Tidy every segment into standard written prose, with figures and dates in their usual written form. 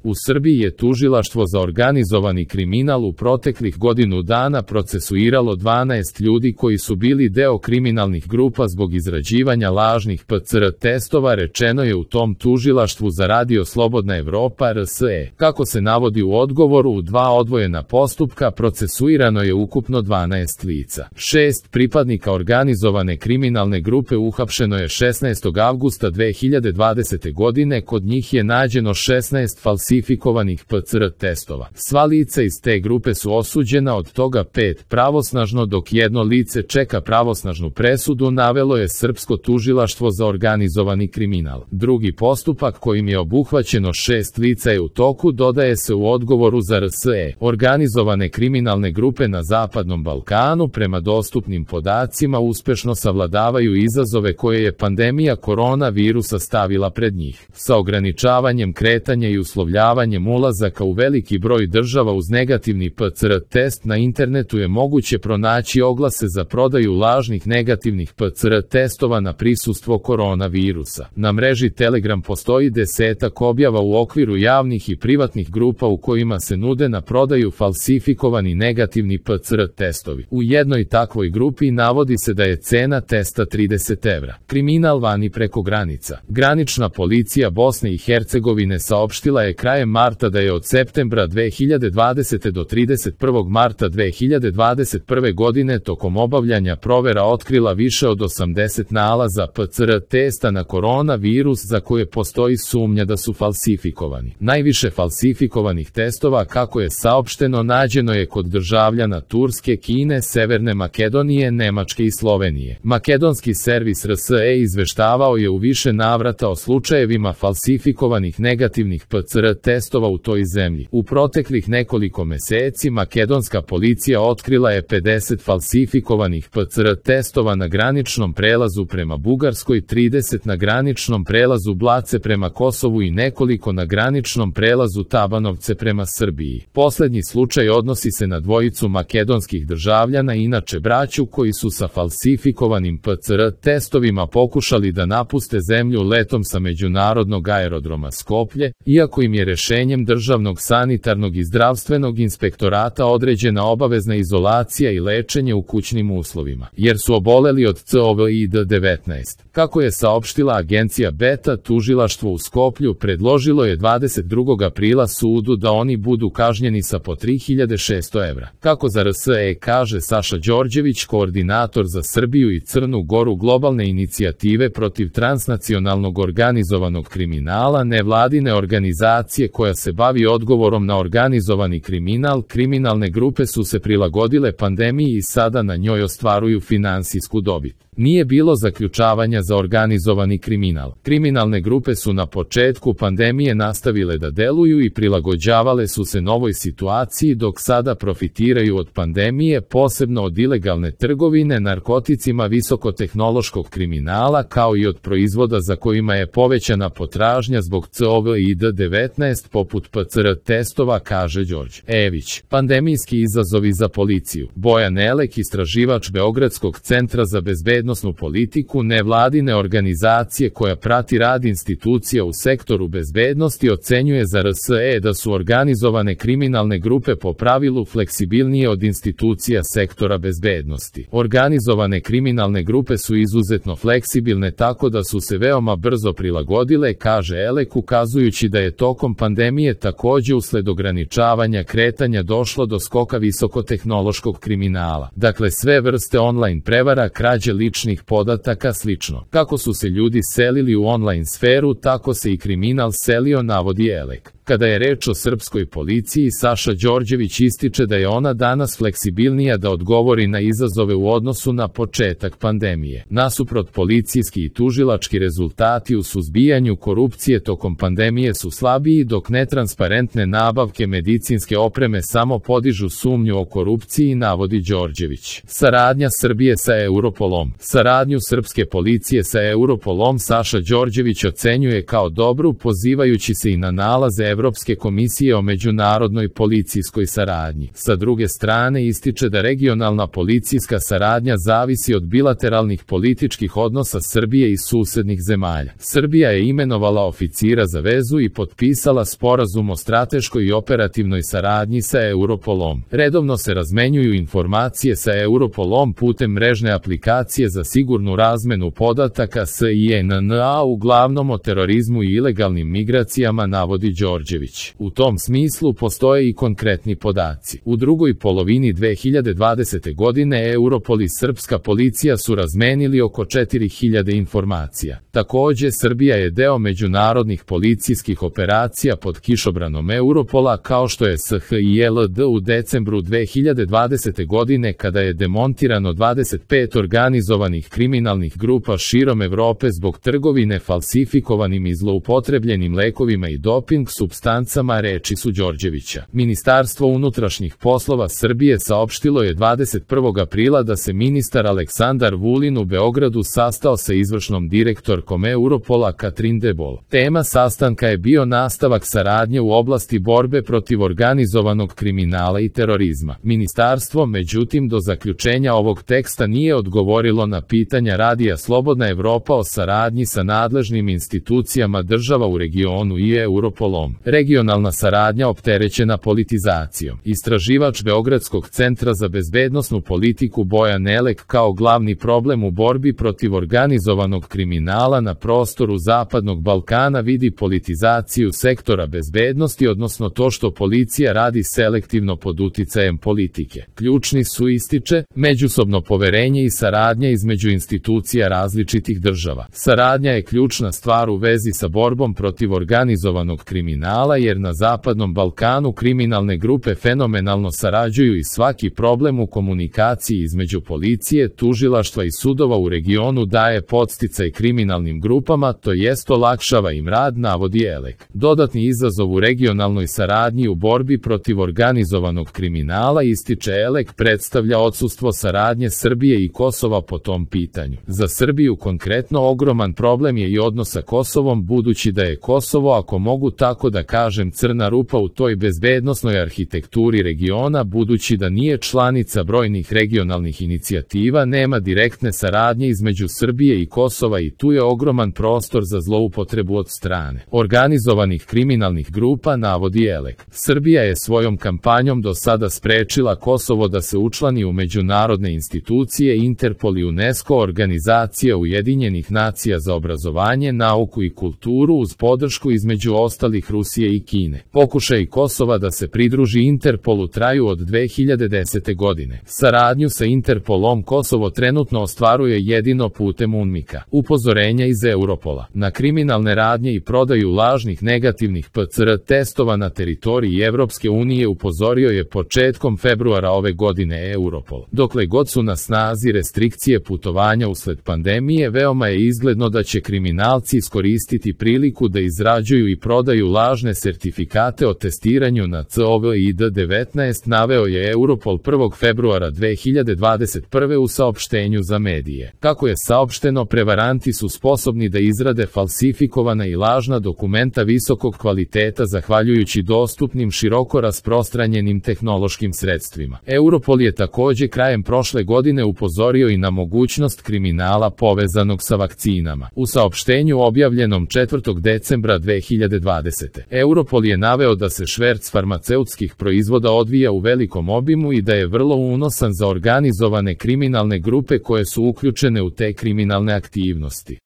U Srbiji je tužilaštvo za organizovani kriminal u proteklih godinu dana procesuiralo 12 ljudi koji su bili deo kriminalnih grupa zbog izrađivanja lažnih PCR testova, rečeno je u tom tužilaštvu za Radio Slobodna Evropa RSE. Kako se navodi u odgovoru, u 2 odvojena postupka procesuirano je ukupno 12 lica. 6 pripadnika organizovane kriminalne grupe uhapšeno je 16. avgusta 2020. godine, kod njih je nađeno 16 falsifikovanih PCR testova. Sva lica iz te grupe su osuđena, od toga 5 pravosnažno, dok jedno lice čeka pravosnažnu presudu, navelo je Srpsko tužilaštvo za organizovani kriminal. Drugi postupak kojim je obuhvaćeno 6 lica je u toku, dodaje se u odgovoru za RSE. Organizovane kriminalne grupe na Zapadnom Balkanu prema dostupnim podacima uspešno savladavaju izazove koje je pandemija koronavirusa stavila pred njih. Sa ograničavanjem kretanja i uslovljavanjem ulazaka u veliki broj država uz negativni PCR test na internetu je moguće pronaći oglase za prodaju lažnih negativnih PCR testova na prisustvo koronavirusa. Na mreži Telegram postoji 10-ak objava u okviru javnih i privatnih grupa u kojima se nude na prodaju falsifikovani negativni PCR testovi. U jednoj takvoj grupi navodi se da je cena testa 30 evra. Kriminal vani preko granica. Granična policija Bosne i Hercegovine saopštila je krajem marta da je od septembra 2020. do 31. marta 2021. godine tokom obavljanja provera otkrila više od 80 nalaza PCR testa na koronavirus za koje postoji sumnja da su falsifikovani. Najviše falsifikovanih testova, kako je saopšteno, nađeno je kod državljana Turske, Kine, Severne Makedonije, Nemačke i Slovenije. Makedonski servis RSE izveštavao je u više navrata o slučajevima falsifikovanih negativnih PCR testova u toj zemlji. U proteklih nekoliko meseci makedonska policija otkrila je 50 falsifikovanih PCR testova na graničnom prelazu prema Bugarskoj, 30 na graničnom prelazu Blace prema Kosovu i nekoliko na graničnom prelazu Tabanovce prema Srbiji. Poslednji slučaj odnosi se na dvojicu makedonskih državljana, inače braću, koji su sa falsifikovanim PCR testovima pokušali da napuste zemlju letom sa međunarodnog aerodroma Skoplje, iako im je rešenjem Državnog sanitarnog i zdravstvenog inspektorata određena obavezna izolacija i lečenje u kućnim uslovima, jer su oboleli od COVID-19. Kako je saopštila agencija Beta, tužilaštvo u Skoplju predložilo je 22. aprila sudu da oni budu kažnjeni sa po 3600 evra. Kako za RSE kaže Saša Đorđević, koordinator za Srbiju i Crnu Goru globalne inicijative protiv transnacionalnog organizovanog kriminala, nevladine organizacije koja se bavi odgovorom na organizovani kriminal, kriminalne grupe su se prilagodile pandemiji i sada na njoj ostvaruju finansijsku dobit. Nije bilo zaključavanja za organizovani kriminal. Kriminalne grupe su na početku pandemije nastavile da deluju i prilagođavale su se novoj situaciji, dok sada profitiraju od pandemije, posebno od ilegalne trgovine narkoticima, visokotehnološkog kriminala, kao i od proizvoda za kojima je povećana potražnja zbog COVID-19 poput PCR testova, kaže Đorđe Ević. Pandemijski izazovi za policiju. Bojan Elek, istraživač Beogradskog centra za bezbednosnu politiku, nevladine organizacije koja prati rad institucija u sektoru bezbednosti, ocenjuje za RSE da su organizovane kriminalne grupe po pravilu fleksibilnije od institucija sektora bezbednosti. Organizovane kriminalne grupe su izuzetno fleksibilne, tako da su se veoma brzo prilagodile, kaže Elek, ukazujući da je tokom pandemije takođe usled ograničavanja kretanja došlo do skoka visokotehnološkog kriminala. Dakle, sve vrste online prevara, krađe ličnih podataka, slično. Kako su se ljudi selili u online sferu, tako se i kriminal selio, navodi Elek. Kada je reč o srpskoj policiji, Saša Đorđević ističe da je ona danas fleksibilnija da odgovori na izazove u odnosu na početak pandemije. Nasuprot, policijski i tužilački rezultati u suzbijanju korupcije tokom pandemije su slabiji, dok netransparentne nabavke medicinske opreme samo podižu sumnju o korupciji, navodi Đorđević. Saradnja Srbije sa Europolom. Saradnju srpske policije sa Europolom Saša Đorđević ocenjuje kao dobru, pozivajući se i na nalaze Evropske komisije o međunarodnoj policijskoj saradnji. Sa druge strane ističe da regionalna policijska saradnja zavisi od bilateralnih političkih odnosa Srbije i susednih zemalja. Srbija je imenovala oficira za vezu i potpisala sporazum o strateškoj i operativnoj saradnji sa Europolom. Redovno se razmenjuju informacije sa Europolom putem mrežne aplikacije za sigurnu razmenu podataka SINNA, uglavnom o terorizmu i ilegalnim migracijama, navodi Đorđević. U tom smislu postoje i konkretni podaci. U drugoj polovini 2020. godine Europol i srpska policija su razmenili oko 4000 informacija. Takođe, Srbija je deo međunarodnih policijskih operacija pod kišobranom Europola, kao što je SHILD u decembru 2020. godine, kada je demontirano 25 organizovanih kriminalnih grupa širom Evrope zbog trgovine falsifikovanim i zloupotrebljenim lekovima i doping supstancama, reči su Đorđevića. Ministarstvo unutrašnjih poslova Srbije saopštilo je 21. aprila da se ministar Aleksandar Vulin u Beogradu sastao sa izvršnom direktorkom Europola Katrin Debol. Tema sastanka je bio nastavak saradnje u oblasti borbe protiv organizovanog kriminala i terorizma. Ministarstvo, međutim, do zaključenja ovog teksta nije odgovorilo na pitanja Radija Slobodna Evropa o saradnji sa nadležnim institucijama država u regionu i Europolom. Regionalna saradnja opterećena politizacijom. Istraživač Beogradskog centra za bezbednosnu politiku Bojan Elek kao glavni problem u borbi protiv organizovanog kriminala na prostoru Zapadnog Balkana vidi politizaciju sektora bezbednosti, odnosno to što policija radi selektivno pod uticajem politike. Ključni su, ističe, međusobno poverenje i saradnja između institucija različitih država. Saradnja je ključna stvar u vezi sa borbom protiv organizovanog kriminala, jer na Zapadnom Balkanu kriminalne grupe fenomenalno sarađuju i svaki problem u komunikaciji između policije, tužilaštva i sudova u regionu daje podsticaj kriminalnim grupama, to jest olakšava im rad, navodi Elek. Dodatni izazov u regionalnoj saradnji u borbi protiv organizovanog kriminala, ističe Elek, predstavlja odsustvo saradnje Srbije i Kosova po tom pitanju. Za Srbiju konkretno ogroman problem je i odnos sa Kosovom, budući da je Kosovo, ako mogu tako da kažem, crna rupa u toj bezbednosnoj arhitekturi regiona, budući da nije članica brojnih regionalnih inicijativa, nema direktne saradnje između Srbije i Kosova i tu je ogroman prostor za zloupotrebu od strane organizovanih kriminalnih grupa, navodi Elek. Srbija je svojom kampanjom do sada sprečila Kosovo da se učlani u međunarodne institucije Interpol i UNESCO, Organizacija Ujedinjenih nacija za obrazovanje, nauku i kulturu, uz podršku između ostalih Rusije i Kine. Pokušaj Kosova da se pridruži Interpolu traju od 2010. godine. Saradnju sa Interpolom Kosovo trenutno ostvaruje jedino putem UNMIK-a. Upozorenja iz Europola na kriminalne radnje i prodaju lažnih negativnih PCR testova na teritoriji Evropske unije upozorio je početkom februara ove godine Europol. Dokle god su na snazi restrikcije putovanja usled pandemije, veoma je izgledno da će kriminalci iskoristiti priliku da izrađuju i prodaju lažne sertifikate o testiranju na COVID-19, naveo je Europol 1. februara 2021. u saopštenju za medije. Kako je saopšteno, prevaranti su sposobni da izrade falsifikovana i lažna dokumenta visokog kvaliteta zahvaljujući dostupnim široko rasprostranjenim tehnološkim sredstvima. Europol je takođe krajem prošle godine upozorio i na mogućnost kriminala povezanog sa vakcinama. U saopštenju objavljenom 4. decembra 2020. Europol je naveo da se šverc farmaceutskih proizvoda odvija u velikom obimu i da je vrlo unosan za organizovane kriminalne grupe koje su uključene u te kriminalne aktivnosti.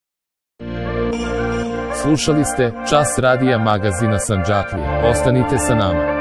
Slušali ste Čas radija magazina Sandžaklija. Ostanite sa nama.